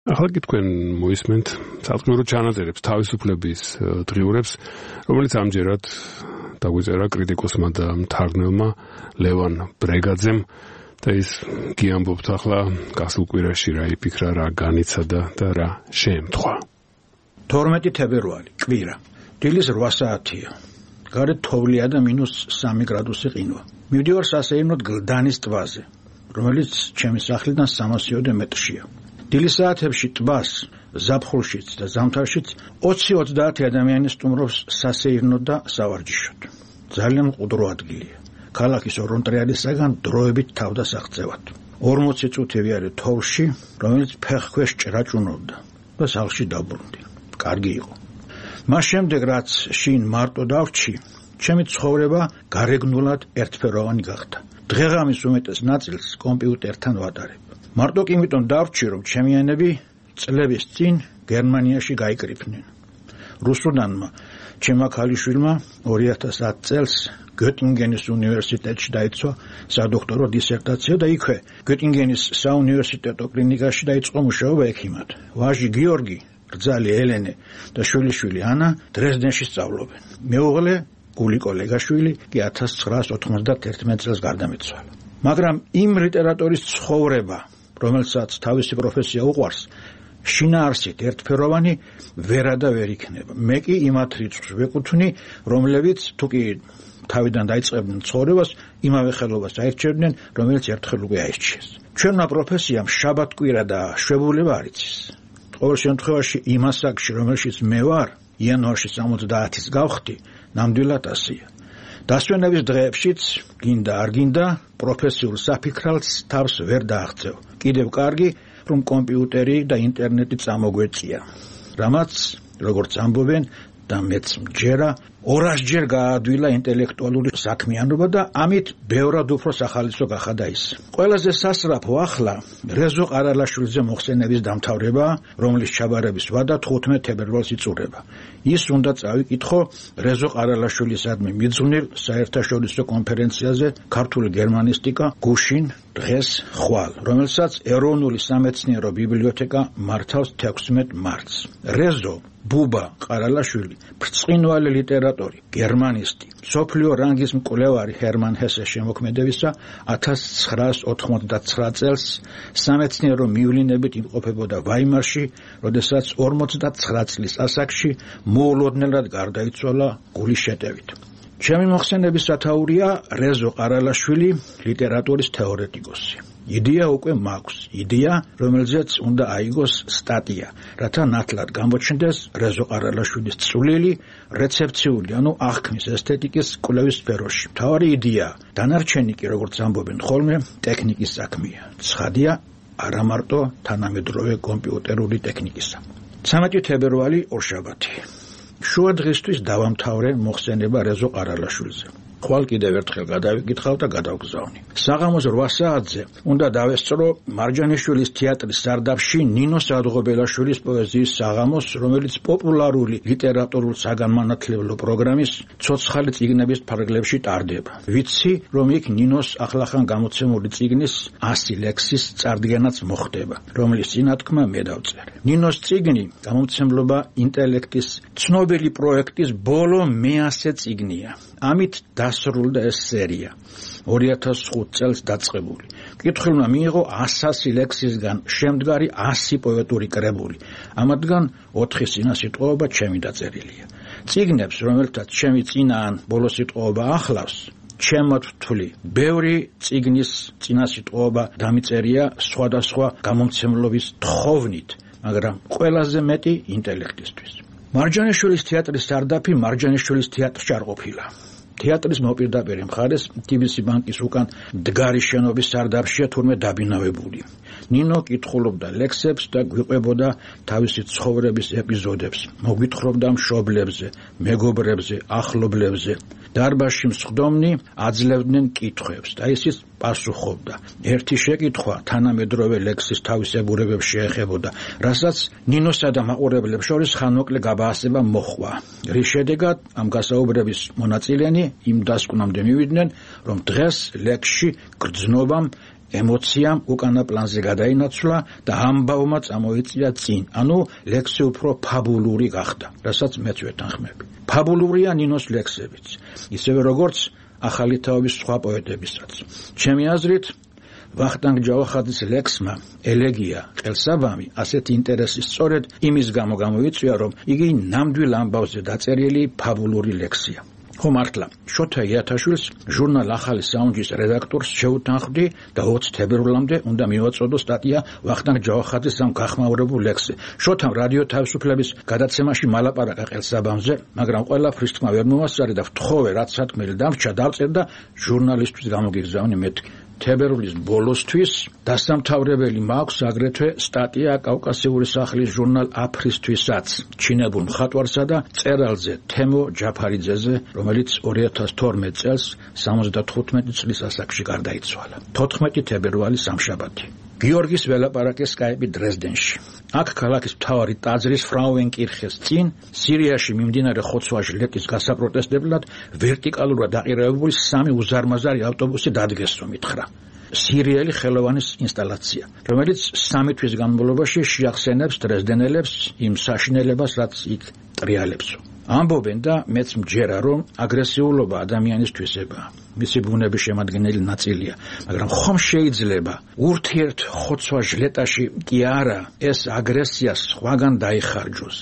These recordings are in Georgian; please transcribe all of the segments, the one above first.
ახლა კი თქვენ მოისმენთ სათქმურო ჩანაწერებს თავისუფლების დღიურებს, რომელიც ამჯერად დაგვიწერა კრიტიკოსმა და მთარგმნელმა ლევან ბრეგაძემ და ის გიამბობთ ახლა გასულ კვირაში რა იფიქრა, რა განიცადა და რა შეემთხვა. 12 თებერვალი, კვირა. დილის 8 საათია. გარეთ თოვლია და -3 გრადუსი ყინვა. მივდივარ სასეირნოდ გლდანის ტბაზე, რომელიც ჩემი სახლიდან 300 მეტრშია. დილის საათებში ტბას, ზაფხულშიც და ზამთარშიც 20-30 ადამიანი სტუმრობს სასეირნოდ და სავარჯიშოდ. ძალიან მყუდრო ადგილია. ქალაქის ორონტრიალისაგან დროებით თავდასაღწევად. 40 წუთი ვიარე თოვლში, რომელიც ფეხქვეშ ჭრაჭუნობდა და სახლში დაბრუნდი. კარგი იყო. მას შემდეგ რაც შინ მარტო დავრჩი, ჩემი ცხოვრება გარეგნულად ერთფეროვანი გახდა. დღეღამის უმეტეს ნაწილს კომპიუტერთან ვატარებ. მარტო კი იმიტომ დავრჩი, რომ ჩემიანები წლების წინ გერმანიაში გაიკრიფნენ. რუსუდანმა ჩემმა ქალიშვილმა 2010 წელს გეტინგენის უნივერსიტეტში დაიცვა სადოქტორო დისერტაცია და იქვე გეტინგენის საუნივერსიტეტო კლინიკაში დაიწყო მუშაობა ექიმად. ვაჟი გიორგი, რძალი ელენე და შვილიშვილი ანა დრეზდენში სწავლობენ. მეუღლე გული კოლეგაშვილი კი 1991 წელს გარდამეცვალა. მაგრამ იმ ლიტერატურის ცხოვრება, რომელსაც თავისი პროფესია უყვარს, შინაარსით ერთფეროვანი ვერა და ვერ იქნება. მე კი იმათ რიცხვს ვეკუთვნი, რომლებიც თუკი თავიდან დაიწყებდნენ ცხოვრებას, იმავე ხელობას აირჩევდნენ, რომელიც ერთხელ უკვე აირჩიეს. ჩვენმა პროფესიამ შაბათ-კვირა და შვებულება არ იცის. ყოველ შემთხვევაში იმ ასაკში, რომელშიც მე ვარ, იანვარში 70-ის გავხდი, ნამდვილად ასია. დასვენების დღეებშიც, გინდა არ გინდა, პროფესიულ საფიქრალს თავს ვერ დააღწევ. კიდევ კარგი, რომ კომპიუტერი და ინტერნეტი წამოგვეწია. რამაც, როგორც ამბობენ და მეც მჯერა, 200-ჯერ გაადვილა ინტელექტუალური საქმიანობა და ამით ბევრად უფრო სახალისო გახადა ის. ყველაზე სასწრაფო ახლა რეზო ყარალაშვილზე მოხსენების დამთავრება, რომლის ჩაბარების ვადა 15 თებერვალს იწურება. ის უნდა წავიკითხო რეზო ყარალაშვილისადმი მიძღვნილ საერთაშორისო კონფერენციაზე ქართული გერმანისტიკა გუშინ დღეს ხვალ, რომელსაც ეროვნული სამეცნიერო ბიბლიოთეკა მართავს 16 მარტს. რეზო ბუბა ყარალაშვილი, ბრწყინვალე ლიტერატორი, გერმანისტი, მსოფლიო რანგის მკვლევარი ჰერმან ჰესეს შემოქმედებისა 1989 წელს სამეცნიერო მივლინებით იმყოფებოდა ვაიმარში, როდესაც 59 წლის ასაკში მოულოდნელად გარდაიცვალა გულის შეტევით. ჩემი მოხსენების სათაურია რეზო ყარალაშვილი, ლიტერატურის თეორეტიკოსი. იდეა უკვე მაქვს, იდეა, რომელზეც უნდა აიგოს სტატია, რათა ნათლად გამოჩნდეს რეზო ყარალაშვილის წვლილი რეცეფციული, ანუ აღქმის ესთეტიკის კვლევის სფეროში. მთავარი იდეა, დანარჩენი კი, როგორც ამბობენ ხოლმე, ტექნიკის საქმეა. ცხადია, არა მარტო თანამედროვე კომპიუტერული ტექნიკისა. 13 თებერვალი ორშაბათი. შუა დღისთვის დავამთავრე მოხსენება რეზო ყარალაშვილზე. ხვალ კიდევ ერთხელ გადავიკითხავ და გადავგზავნი. საღამოს 8 საათზე უნდა დავესწრო მარჯანიშვილის თეატრის სარდაფში ნინო სადღობელაშვილის პოეზიის საღამოს, რომელიც პოპულარული ლიტერატურულ საგანმანათლებლო პროგრამის ცოცხალი წიგნების ფარგლებში ტარდება. ვიცი, რომ იქ ნინოს ახლახან გამოცემული წიგნის 100 ლექსის წარდგენაც მოხდება, რომლის წინათქმა მე დავწერე. ნინოს წიგნი გამომცემლობა ინტელექტის ცნობილი პროექტის ბოლო 100 წიგნია. ამით დასრულდა ეს სერია 2005 წელს დაწყებული. კითხულმა მიიღო 100 ლექსისგან შემდგარი 100 პოეტური კრებული. ამათგან 4 წინასიტყვაობა ჩემი დაწერილია. წიგნებს, რომელთაც ჩემი წინა ან ბოლო სიტყვაობა ახლავს, ჩემად ვთვლი. ბევრი წიგნის წინასიტყვაობა დამიწერია სხვადასხვა გამომცემლობის თხოვნით, მაგრამ ყველაზე მეტი ინტელექტისთვის. მარჯანიშვილის თეატრის სარდაფი მარჯანიშვილის თეატრში არ ყოფილა. თეატრის მოპირდაპირე მხარეს TBC ბანკის უკან დგარი შენობის სარდაფშია თურმე დაბინავებული. ნინო კითხულობდა ლექსებს და გვიყვებოდა თავისი ცხოვრების ეპიზოდებს. მოგვითხრობდა მშობლებზე, მეგობრებზე, ახლობლებზე. დარბაზში მსხდომნი აძლევდნენ კითხვებს და ისიც პასუხობდა. ერთი შეკითხვა თანამედროვე ლექსის თავისებურებებს შეეხებოდა, რასაც ნინოსა და მაყურებლებს შორის ხანმოკლე გაბაასება მოჰყვა. რის შედეგად ამ გასაუბრების მონაწილენი იმ დასკვნამდე მივიდნენ, რომ დღეს ლექსში გრძნობამ ემოციამ უკანა პლანზე გადაინაცვლა და ამბავმა წამოიწია წინ. ანუ ლექსი უფრო ფაბულური გახდა, რასაც მეც ვეთანხმები. ფაბულურია ნინოს ლექსებიც, ისევე როგორც ახალი თაობის სხვა პოეტებისაც. ჩემი აზრით, ვახტანგ ჯავახაძის ლექსმა ელეგია ყელსაბამი ასეთი ინტერესი სწორედ იმის გამო გამოიწვია, რომ იგი ნამდვილ ამბავზე დაწერილი ფაბულური ლექსია. ხო მართლა, შოთა იათაშვილს ჟურნალ ახალი საუნჯის რედაქტორს შეუთანხმდი და 20 თებერვლამდე უნდა მივაწოდო სტატია ვახტანგ ჯავახაძის ამ გახმაურებულ ლექსზე. შოთამ რადიო თავისუფლების გადაცემაში მალაპარაკა ყელსაბამზე, მაგრამ ყველაფრის თქმა ვერ მომასწარი და ვთხოვე, რაც სათქმელი დამრჩა, დავწერ და ჟურნალისტვის გამოგიგზავნე მეთქი. თებერვლის ბოლოსთვის დასამთავრებელი მაქვს აგრეთვე სტატია კავკასიური სახლის ჟურნალ აფრისთვისაც ჩინებულ მხატვარსა და წერალზე თემო ჯაფარიძეზე, რომელიც 2012 წელს 75 წლის ასაკში გარდაიცვალა. 14 თებერვალი სამშაბათი. გიორგის ველაპარაკე სკაიპი დრეზდენში. აქ ქალაქის მთავარი ტაძრის ფრაუენკირხეს წინ სირიაში მიმდინარე ხოცვა-ჟლეტის გასაპროტესტებლად ვერტიკალურად აყირებებული 3 უზარმაზარი ავტობუსი დადგეს, რომ ითხრა. სირიელი ხელოვანის ინსტალაცია, რომელიც 3 თვის განმავლობაში შეახსენებს დრეზდენელებს იმ საშინელებას, რაც იქ ტრიალებსო. ამბობენ და მეც მჯერა, რომ აგრესიულობა ადამიანისთვისებაა. მისი ბუნების შემადგენელი ნაწილია, მაგრამ ხომ შეიძლება ურთიერთ ხოცვა-ჟლეტაში კი არა ეს აგრესია სხვაგან დაიხარჯოს.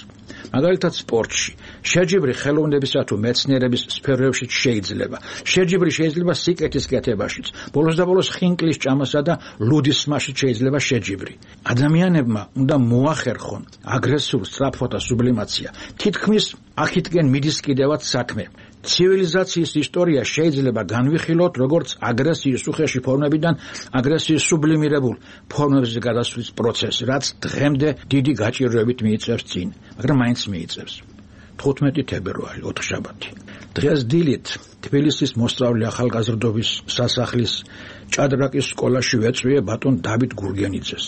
მაგალითად სპორტში, შეჯიბრი ხელოვნებისა თუ მეცნიერების სფეროებშიც შეიძლება. შეჯიბრი შეიძლება სიკეთის კეთებაშიც, ბოლოს და ბოლოს ხინკლის ჭამასა და ლუდისმაშიც შეიძლება შეჯიბრი. ადამიანებმა უნდა მოახერხონ აგრესიულ სწრაფოთა სუბლიმაცია. თითქმის აქეთკენ მიდის კიდევაც საქმე. ცივილიზაციის ისტორია შეიძლება განვიხილოთ როგორც აგრესიის უხეში ფორმებიდან აგრესიის სუბლიმირებულ ფორმებზე გადასვლის პროცესი, რაც დღემდე დიდი გაჭირვებით მიიწევს წინ, მაგრამ მაინც მიიწევს. 15 თებერვალი, ოთხშაბათი. დღეს დილით თბილისის მოსწავლე ახალგაზრდობის სასახლის ჭადრაკის სკოლაში ვეწვიე ბატონ დავით გურგენიძეს,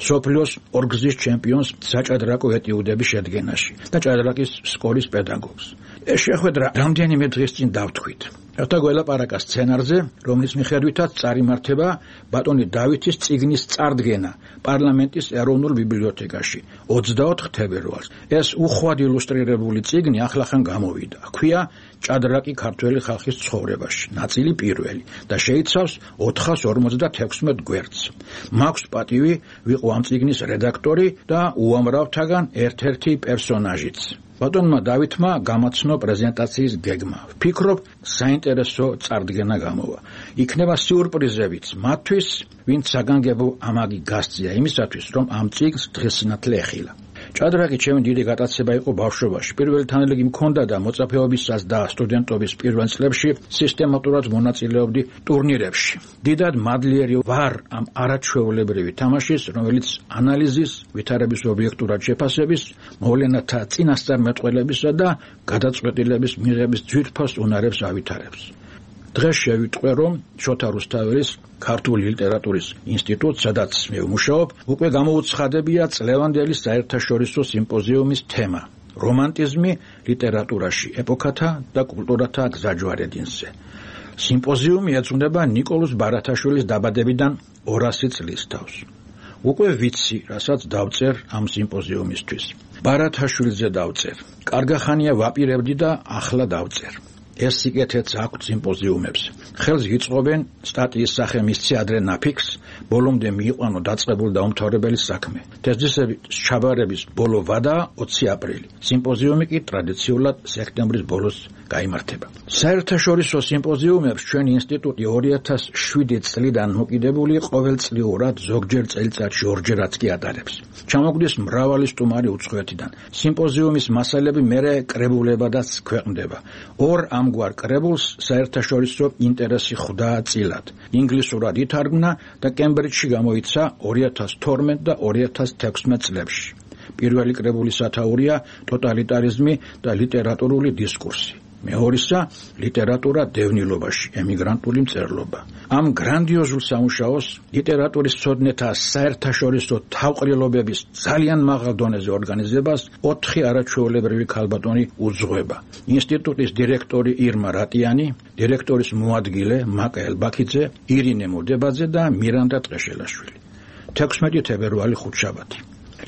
მსოფლიოს ორგზის ჩემპიონს საჭადრაკო ეტიუდების შედგენაში და ჭადრაკის სკოლის პედაგოგს. ეს შეხვედრა რამდენიმე დღის წინ დავთქვით. რათა გველაპარაკა სცენარზე, რომლის მიხედვითაც წარიმართება ბატონი დავითის წიგნის წარდგენა პარლამენტის ეროვნულ ბიბლიოთეკაში 24 თებერვალს. ეს უხვად ილუსტრირებული წიგნი ახლახან გამოვიდა. ჰქვია ჭადრაკი ქართველი ხალხის ცხოვრებაში, ნაწილი პირველი და შეიცავს 456 გვერდს. მაქვს პატივი ვიყო ამ წიგნის რედაქტორი და უამრავთაგან ერთ-ერთი პერსონაჟიც. ბატონმა დავითმა გამაცნო პრეზენტაციის გეგმა. ვფიქრობ, საინტერესო წარდგენა გამოვა. იქნება სიურპრიზებიც მათთვის, ვინც საგანგებო ამაგი გასწია იმისათვის, რომ ამ წიგნს დღესინათლე ეხილა. ჭადრაკი ჩემი დიდი გატაცება იყო ბავშვობაში. პირველი თანელეგი მქონდა და მოწაფეობისას და სტუდენტობის პირველ წლებში სისტემატურად მონაწილეობდი ტურნირებში. დიდად მადლიერი ვარ ამ არაჩვეულებრივი თამაშის, რომელიც ანალიზის, ვითარების ობიექტურად შეფასების, მოვლენათა წინასწარმეტყველებისა და გადაწყვეტილების მიღების ძვირფას უნარებს ავითარებს. დღეს შევიტყვე, რომ შოთა რუსთაველის ქართული ლიტერატურის ინსტიტუტს, სადაც მე ვმუშაობ, უკვე გამოუცხადებია წლევანდელი საერთაშორისო სიმპოზიუმის თემა რომანტიზმი ლიტერატურაში, ეპოქათა და კულტურათა გზაჯვარედინზე. სიმპოზიუმი ეძღვნება ნიკოლოზ ბარათაშვილის დაბადებიდან 200 წლის თავს. უკვე ვიცი, რასაც დავწერ ამ სიმპოზიუმისთვის. ბარათაშვილზე დავწერ. კარგახანია ვაპირებდი და ახლა დავწერ. ეს სიკეთეც აქვს სიმპოზიუმებს. ხელს გიწყობენ სტატიის სახე მისცე ადრე ნაფიქს, ბოლომდე მიიყვანო დაწყებულ და უმთავრებელი საქმე. თეზისების ჩაბარების ბოლო ვადა 20 აპრილი. სიმპოზიუმი კი ტრადიციულად სექტემბრის ბოლოს გაიმართება. საერთაშორისო სიმპოზიუმებს ჩვენი ინსტიტუტი 2007 წლიდან მოკიდებული ყოველწლიურად ზოგჯერ წელიწადში 2 ჯერაც კი ატარებს. ჩამოგვდის მრავალი სტუმარი უცხოეთიდან. სიმპოზიუმის მასალები მერე კრებულებადაც ქვეყნდება. ორ ამგვარ კრებულს საერთაშორისო ინტერესი ხვდა წილად. ინგლისურად ითარგმნა და კემბრიჯში გამოიცა 2012 და 2016 წლებში. პირველი კრებულის სათაურია ტოტალიტარიზმი და ლიტერატურული დისკურსი. მეორისა ლიტერატურა დევნილობაში, ემიგრანტული მწერლობა. ამ გრანდიოზულ სამუშაოს ლიტერატურის მცოდნეთა საერთაშორისო თავყრილობების ძალიან მაღალ დონეზე ორგანიზებას 4 არაჩვეულებრივი ქალბატონი უძღვება. ინსტიტუტის დირექტორი ირმა რატიანი, დირექტორის მოადგილე მაკა ელბაქიძე, ირინე მოდებაძე და მირანდა ტყეშელაშვილი. 16 თებერვალი ხუთშაბათი.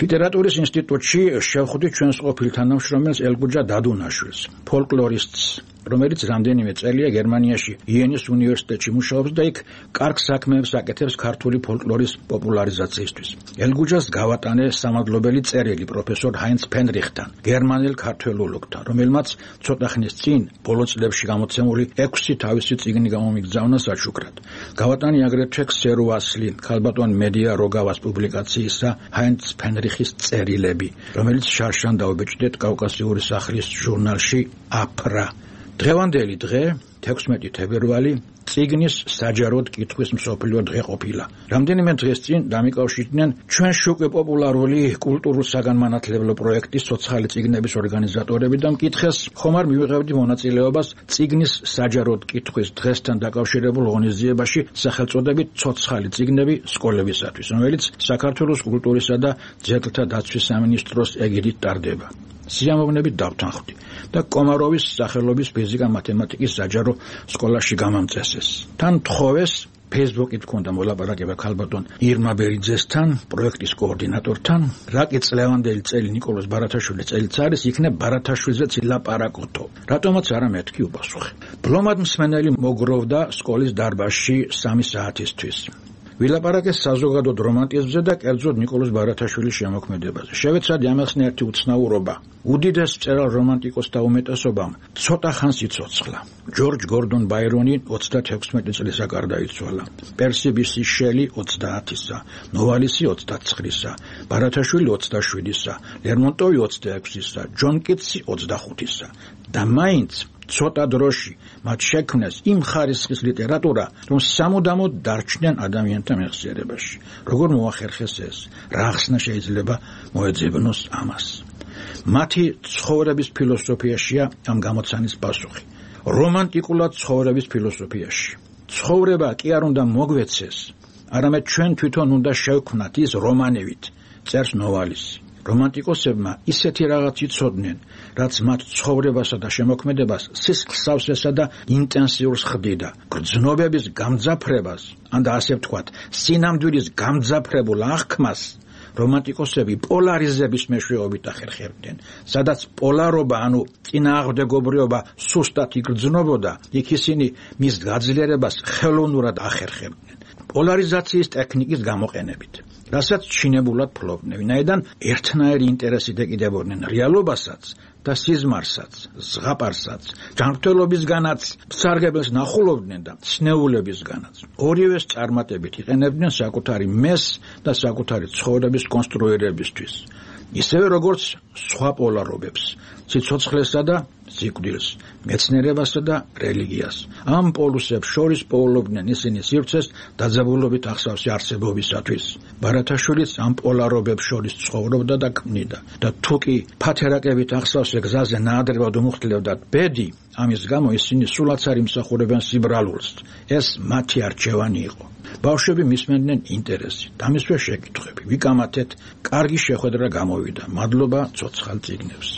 ლიტერატურის ინსტიტუტში შევხვდით ჩვენს ყოფილ თანამშრომელს ელგუჯა დადუნაშვილს, ფოლკლორისტს, რომელიც რამდენიმე წელია გერმანიაში იენის უნივერსიტეტში მუშაობს და იქ კარგ საქმეებს აკეთებს ქართული ფოლკლორის პოპულარიზაციისთვის. ელგუჯას გავატანე სამადლობელი წერილი პროფესორ ჰაინც ფენრიხთან, გერმანელ ქართველოლოგთან, რომელმაც ცოტა ხნის წინ ბოლო წლებში გამოცემული 6 თავისი წიგნი გამომიგზავნა საჩუქრად. გავატანე აგრეთვე ქსერო ასლი, ქალბატონ მედია როგავას პუბლიკაციისა ჰაინც ფენრიხის წერილები, რომელიც შარშან დაუბეჭდეთ კავკასიური სახლის ჟურნალში აფრა. დღევანდელი დღე 16 თებერვალი წიგნის საჯაროდ კითხვის მსოფლიო დღე ყოფილა. რამდენიმე დღეს წინ დამიკავშირდნენ ჩვენში უკვე პოპულარული კულტურულ საგანმანათლებლო პროექტის ცოცხალი წიგნების ორგანიზატორები და მკითხეს ხომ არ მივიღებდი მონაწილეობას წიგნის საჯაროდ კითხვის დღესთან დაკავშირებულ ღონისძიებაში სახელწოდებით ცოცხალი წიგნები სკოლებისათვის, რომელიც საქართველოს კულტურისა და ძეგლთა დაცვის სამინისტროს ეგიდით ტარდება. სიამოვნებით დავთანხმდი და კომაროვის სახელობის ფიზიკა-მათემატიკის საჯარო სკოლაში გამამწესეს. თან თხოვეს Facebook-ით მქონდა მოლაპარაკება ქალბატონ ირმა ბერიძესთან, პროექტის კოორდინატორთან, რაკი წლევანდელი წელი ნიკოლოზ ბარათაშვილის წელიც არის, იქნებ ბარათაშვილზეც ილაპარაკოთო. რატომაც არა მეთქი უპასუხე. ბლომად მსმენელი მოგროვდა სკოლის დარბაზში 3 საათისთვის. ვილაპარაკეს საზოგადოდ რომანტიზმზე და კერძოდ ნიკოლოზ ბარათაშვილის შემოქმედებაზე. შევეცადი ამახსნე ერთი უცნაურობა. უდიდეს მწერალ რომანტიკოსთა უმეტესობამ ცოტა ხანს იცოცხლა. ჯორჯ გორდონ ბაირონი 36 წლისა გარდაიცვალა. პერსი ბისი შელი 30-ისა, ნოვალისი 29-ისა, ბარათაშვილი 27-ისა, ლერმონტოვი 26-ისა, ჯონ კიტსი 25-ისა. და მაინც ცოტა დროში მათ შექმნეს იმ ხარისხის ლიტერატურა, რომ სამუდამოდ დარჩნენ ადამიანთა მეხსიერებაში. როგორ მოახერხეს ეს? რა ხსნა შეიძლება მოეძებნოს ამას? მათი ცხოვრების ფილოსოფიაშია ამ გამოცანის პასუხი. რომანტიკულად ცხოვრების ფილოსოფიაში. ცხოვრება კი არ უნდა მოგვეცეს, არამედ ჩვენ თვითონ უნდა შევქმნათ ის რომანებით, წერს ნოვალისი. რომანტიკოსებმა ისეთი რაღაც იცოდნენ, რაც მათ ცხოვრებასა და შემოქმედებას სისხლსავსესა და ინტენსიურს ხდიდა. გრძნობების გამძაფრებას, ან და ასე ვთქვათ, სინამდვილის გამძაფრებულ აღქმას რომანტიკოსები პოლარიზების მეშვეობით ახერხებდნენ. სადაც პოლარობა, ანუ წინააღმდეგობრიობა სუსტად იგრძნობოდა, იქ ისინი მის გაძლიერებას ხელოვნურად ახერხებდნენ. პოლარიზაციის ტექნიკის გამოყენებით. რასაც ჩინებულად ფლობდნენ, ვინაიდან ერთნაირი ინტერესით ეკიდებოდნენ რეალობასაც და სიზმარსაც, ზღაპარსაც, ჯანმრთელობისგანაც, სარგებელს ნახულობდნენ და ცნეულებისგანაც. ორივეს წარმატებით იყენებდნენ საკუთარი მეს და საკუთარი ცხოვრების კონსტრუირებისთვის. ისევე როგორც სხვა პოლარობებს, სიცოცხლესა და სიკვდილს, მეცნიერებასა და რელიგიას. ამ პოლუსებს შორის პოულობდნენ ისინი სივრცეს დაძაბულობით ახსავსი არსებობისათვის. ბარათაშვილიც ამ პოლარობებს შორის ცხოვრობდა და ქმნიდა. და თუკი ფათერაკებით ახსავსე გზაზე ნაადრევად უმუხტლებდათ ბედი, ამის გამო ისინი სულაც არ იმსახურებენ სიბრალულს. ეს მათი არჩევანი იყო. ბავშვები მისმენდნენ ინტერესით, ამისვე შეკითხვები. ვიკამათეთ, კარგი შეხვედრა გამოვიდა. მადლობა ცოცხალ წიგნებს.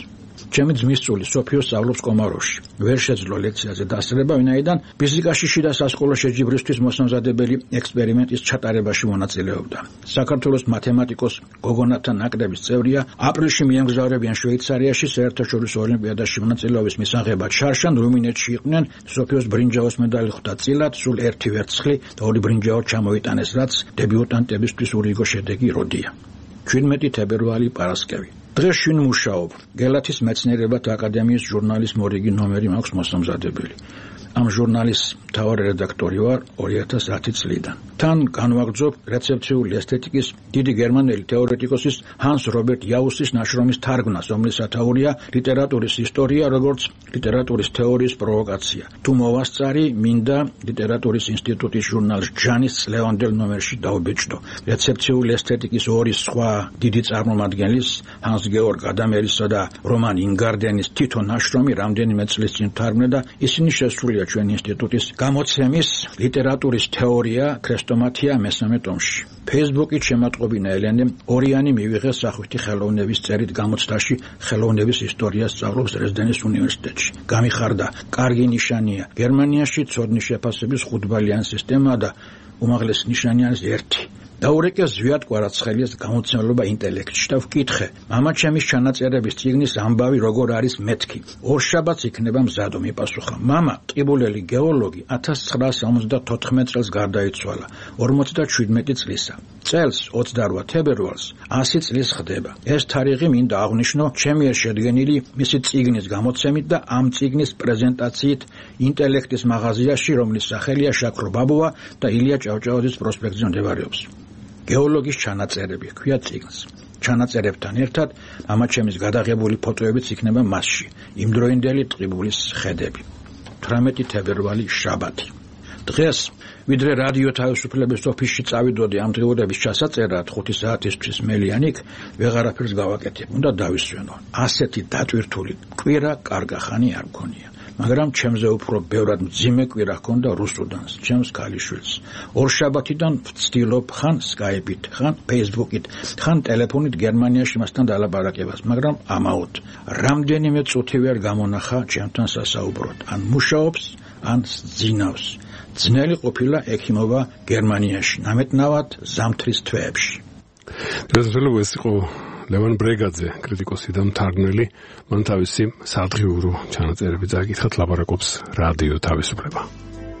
ჩემი ძმისწული სოფიო სწავლობს კომაროვში. ვერ შეძლო ლექციაზე დასწრება, ვინაიდან ფიზიკაში შიდა სასკოლო შეჯიბრისთვის მოსამზადებელი ექსპერიმენტის ჩატარებაში მონაწილეობდა. საქართველოს მათემატიკოს გოგონათა ნაკრების წევრია, აპრილში მიემგზავრებიან შვეიცარიაში საერთაშორისო ოლიმპიადაში მონაწილეობის მისაღებად. შარშან რუმინეთში იყვნენ, სოფიოს ბრინჯაოს медаლი ხვდა წილად, სულ 1 ვერცხლი და 2 ბრინჯაო ჩამოიტანეს, რაც დებიუტანტებისთვის ურიგო შედეგი როდია. 17 თებერვალი პარასკევი. დღეს შინ მუშაობ. გელათის მეცნიერებათა აკადემიის ჟურნალის მორიგი ნომერი მაქვს მოსამზადებელი. ამ ჟურნალის მთავარი რედაქტორი ვარ 2010 წლიდან. თან განვაგრძობ რეცეპციული ესთეტიკის დიდი გერმანელი თეორეტიკოსის ჰანს რობერტ იაუსის ნაშრომის თარგმნას, რომლის სათაურია ლიტერატურის ისტორია, როგორც ლიტერატურის თეორიის პროვოკაცია. თუ მოვასწარი, მინდა ლიტერატურის ინსტიტუტის ჟურნალს ჯანის წლევანდელ ნომერში დავბეჭდო. რეცეპციული ესთეტიკის ორი სხვა დიდი წარმომადგენლის, ჰანს გეორგ ადამერისა და რომან ინგარდენის თითო ნაშრომი რამდენიმე წლის წინ თარგმნა და ისინი შესულია ჩვენ ინსტიტუტის გამოცემის ლიტერატურის თეორია ქრესტომათია მესამე ტომში. Facebook-ით შემატყობინა ელენემ ორიანი მივიღეს სახვითი ხელოვნების წერით გამოცდაში ხელოვნების ისტორია სწავლობს დრეზდენის უნივერსიტეტში. გამიხარდა, კარგი ნიშანია. გერმანიაში ცოდნის შეფასების 5-ბალიანი სისტემაა და უმაღლესი ნიშანი არის 1. დაურეკე ზვიად კვარაცხელიას გამოცემლობა ინტელექტში და ვკითხე, მამა ჩემის ჩანაწერების წიგნის ამბავი როგორ არის მეთქი. ორშაბათს იქნება მზადო, მიპასუხა. მამა, ტყიბულელი გეოლოგი 1974 წელს გარდაიცვალა, 57 წლისა. წელს 28 თებერვალს 100 წლის ხდება. ეს თარიღი მინდა აღვნიშნო ჩემი შედგენილი მისი წიგნის გამოცემით და ამ წიგნის პრეზენტაციით ინტელექტის მაღაზიაში, რომლის სახელია შაქრო ბაბუა და ილია ჭავჭავაძის პროსპექტზე მდებარეობს. გეოლოგის ჩანაწერები ქვია წიგნს. ჩანაწერებთან ერთად მამაჩემის გადაღებული ფოტოებიც იქნება მასში. იმდროინდელი ტყიბულის ხედები. 18 თებერვალი შაბათი. დღეს ვიდრე რადიო თავისუფლების ოფისში წავიდოდი ამ დღეურების ჩასაწერად 5 საათისთვის მელიანიქ, ვეღარაფერს გავაკეთებ, უნდა დავისვენო. ასეთი დატვირთული კვირა კარგახანი არ მქონია. მაგრამ ჩემზე უფრო ბევრად მძიმე კვირა ჰქონდა რუსუდანს, ჩემს ქალიშვილს. ორშაბათიდან ვცდილობ ხან Skype-ით, ხან Facebook-ით, ხან ტელეფონით გერმანიაში მასთან დალაპარაკებას, მაგრამ ამაოდ რამდენიმე წუთი ვერ გამონახა ჩემთან სასაუბროდ. ან მუშაობს, ან ძინავს. ძნელი ყოფილა ექიმობა გერმანიაში, ნამეტნავად ზამთრის თვეებში. დღესდღეობით ეს იყო ლევან ბრეგაძე, კრიტიკოსი და მთარგმნელი, მან თავისი სადღიურო ჩანაწერები წაკითხა, ლაპარაკობს რადიო თავისუფლება.